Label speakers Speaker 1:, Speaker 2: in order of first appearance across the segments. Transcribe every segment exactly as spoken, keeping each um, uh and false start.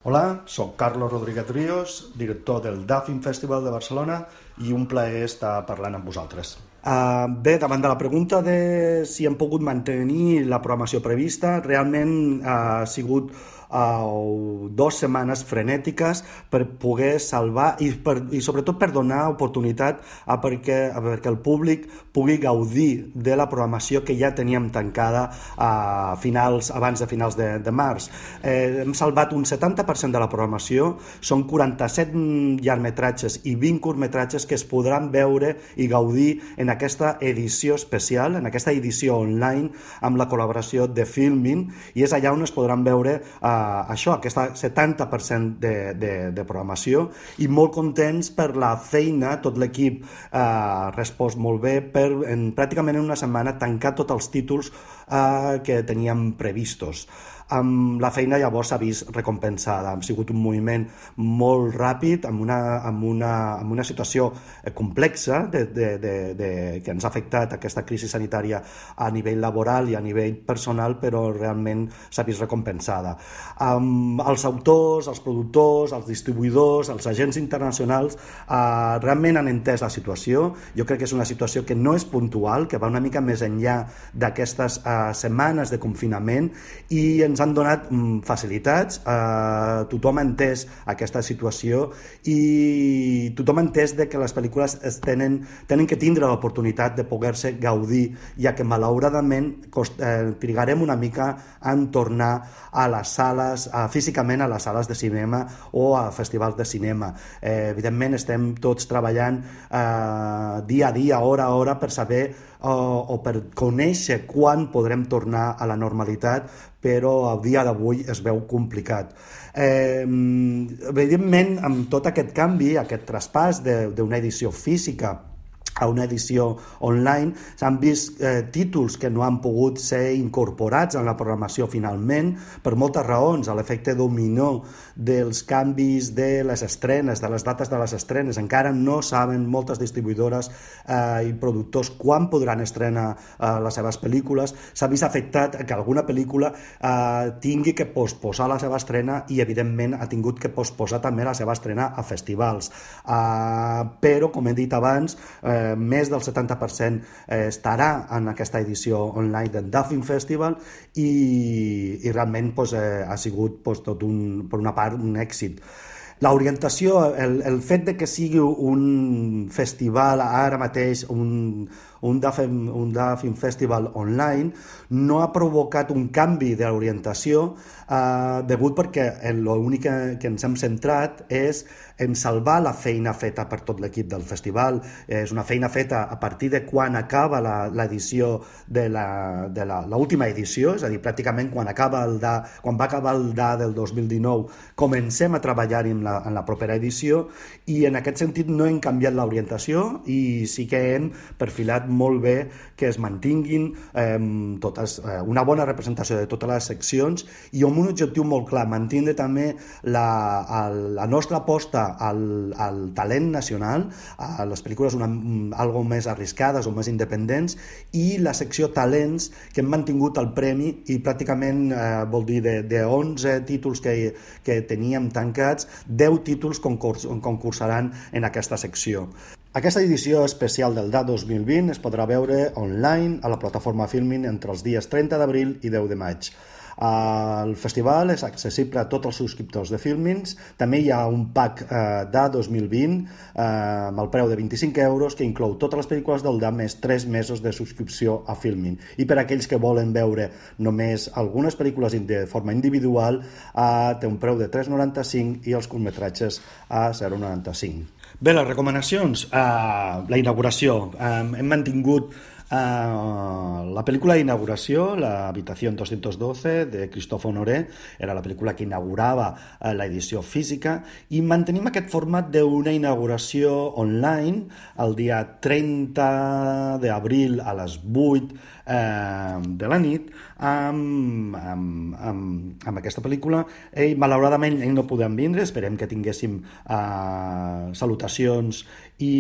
Speaker 1: Hola, soc Carlos Rodríguez Ríos, director del D A Film Festival de Barcelona, i un plaer estar parlant amb vosaltres. Uh, bé, davant de la pregunta de si hem pogut mantenir la programació prevista, realment uh, ha sigut uh, dues setmanes frenètiques per poder salvar i, per, i sobretot per donar oportunitat a perquè, a perquè el públic pugui gaudir de la programació que ja teníem tancada a finals, abans de finals de, de març. Eh, hem salvat un setanta per cent de la programació, són quaranta-set llargmetratges i vint curtmetratges que es podran veure i gaudir en aquesta edició especial, en aquesta edició online amb la col·laboració de Filmin, i és allà on es podran veure eh, això, aquesta setanta per cent de, de, de programació, i molt contents per la feina, tot l'equip eh, ha respost molt bé per en, pràcticament en una setmana tancar tots els títols eh, que teníem previstos. Um, la feina llavors s'ha vist recompensada, ha sigut un moviment molt ràpid, amb una, amb una, amb una situació complexa de, de, de, de, que ens ha afectat aquesta crisi sanitària a nivell laboral i a nivell personal, però realment s'ha vist recompensada. Um, els autors, els productors, els distribuïdors, els agents internacionals uh, realment han entès la situació. Jo crec que és una situació que no és puntual, que va una mica més enllà d'aquestes uh, setmanes de confinament, i ens ens han donat mm, facilitats, eh, tothom ha entès aquesta situació i tothom ha entès de que les pel·lícules es tenen, tenen que tindre l'oportunitat de poder-se gaudir, ja que malauradament cost, eh, trigarem una mica en tornar a les sales, a, físicament a les sales de cinema o a festivals de cinema. Eh, evidentment estem tots treballant eh, dia a dia, hora a hora, per saber o, o per conèixer quan podrem tornar a la normalitat, però al dia d'avui es veu complicat. Eh, evidentment, amb tot aquest canvi, aquest traspàs d'una edició física a una edició online, s'han vist eh, títols que no han pogut ser incorporats en la programació finalment, per moltes raons, a l'efecte dominó dels canvis de les estrenes, de les dates de les estrenes. Encara no saben moltes distribuïdores eh, i productors quan podran estrenar eh, les seves pel·lícules. S'ha vist afectat que alguna pel·lícula eh, tingui que posposar la seva estrena i, evidentment, ha tingut que posposar també la seva estrena a festivals. Eh, però, com he dit abans, eh, més del setanta per cent estarà en aquesta edició online del D A Film Festival i, i realment pues, eh, ha sigut pues, tot un, per una part un èxit. L'orientació, el, el fet de que sigui un festival ara mateix, un, un, D A F, un D A Film Festival online, no ha provocat un canvi de l'orientació eh, degut perquè l'únic que, que ens hem centrat és en salvar la feina feta per tot l'equip del festival. És una feina feta a partir de quan acaba l'edició de la, de la, l'última edició, és a dir, pràcticament quan, acaba el D A, quan va acabar el D A del dos mil dinou, comencem a treballar en la, en la propera edició, i en aquest sentit no hem canviat l'orientació i sí que hem perfilat molt bé que es mantinguin eh, totes, eh, una bona representació de totes les seccions i amb un objectiu molt clar, mantindre també la, el, la nostra aposta al, al talent nacional, a les pel·lícules una, algo més arriscades o més independents, i la secció talents, que hem mantingut el premi i pràcticament eh, vol dir de, de onze títols que, que teníem tancats, deu títols concurs, concursaran en aquesta secció. Aquesta edició especial del D A dos mil vint es podrà veure online a la plataforma Filmin entre els dies trenta d'abril i deu de maig. El festival és accessible a tots els subscriptors de Filmins. També hi ha un pack eh, D A dos mil vint eh, amb el preu de vint-i-cinc euros que inclou totes les pel·lícules del D A més tres mesos de subscripció a Filmin. I per a aquells que volen veure només algunes pel·lícules de forma individual eh, té un preu de tres coma noranta-cinc i els curtmetratges a zero coma noranta-cinc. Bé, les recomanacions. Uh, la inauguració. Uh, hem mantingut uh, la pel·lícula d'inauguració, La habitación doscientos doce, de Christophe Honoré, era la pel·lícula que inaugurava uh, l'edició física, i mantenim aquest format d'una inauguració online el dia trenta d'abril a les vuit eh, de la nit amb, amb, amb, amb aquesta pel·lícula. Ell, malauradament, ell no podem vindre, esperem que tinguéssim eh, salutacions i,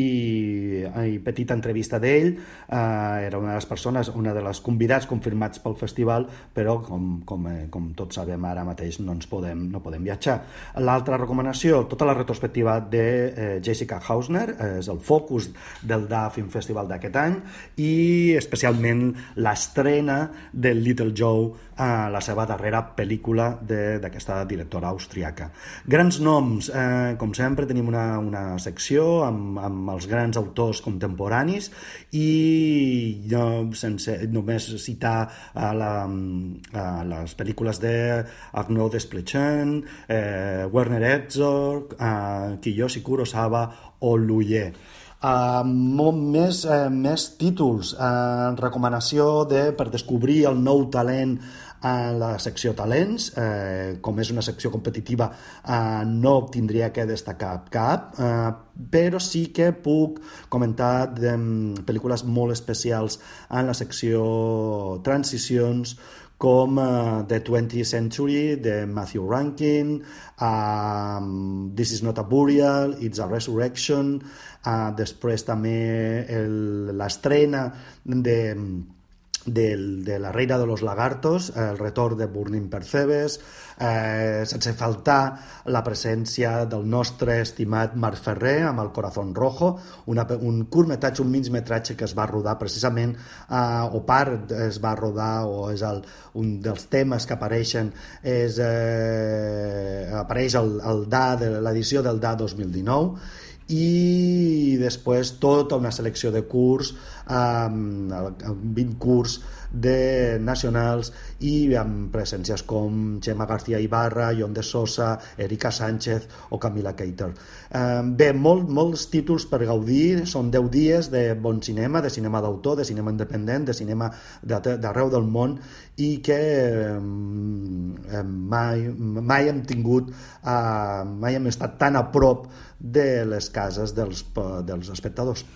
Speaker 1: i petita entrevista d'ell. Eh, era una de les persones, una de les convidats confirmats pel festival, però com, com, eh, com tots sabem ara mateix no ens podem, no podem viatjar. L'altra recomanació, tota la retrospectiva de eh, Jessica Hausner, eh, és el focus del D A Film Festival d'aquest any, i especialment l'estrena del Little Joe, eh, la seva darrera pel·lícula d'aquesta directora austríaca. Grans noms, eh, com sempre tenim una, una secció amb, amb els grans autors contemporanis, i no, sense només citar a, la, a les pel·lícules de Arnaud Desplechin, eh, Werner Herzog, eh, Kiyoshi Kurosawa o Luye. Uh, molt més, uh, més títols, uh, recomanació de, per descobrir el nou talent a la secció talents, eh, com és una secció competitiva, eh, no tindria que destacar cap, eh, però sí que puc comentar de, um, pel·lícules molt especials en la secció transicions, com uh, The twentieth Century, de Matthew Rankin, um, This is not a Burial, It's a Resurrection, uh, després també l'estrena de... De, de La reina de los lagartos, el retorn de Burning Percebes, eh, sense faltar la presència del nostre estimat Marc Ferrer amb El corazón rojo, una, un curtmetratge, un mig metratge que es va rodar precisament, eh, o part es va rodar, o és el, un dels temes que apareixen, és, eh, apareix el, el D A de l'edició del D A dos mil dinou, i després tota una selecció de curs, um, vint curs de nacionals, i amb presències com Gemma García Ibarra, Jon de Sosa, Erika Sánchez o Camila Keiter. Um, bé, molt, molts títols per gaudir, són deu dies de bon cinema, de cinema d'autor, de cinema independent, de cinema d'arreu del món, i que um, mai, mai hem tingut, uh, mai hem estat tan a prop de les cases dels, dels espectadors.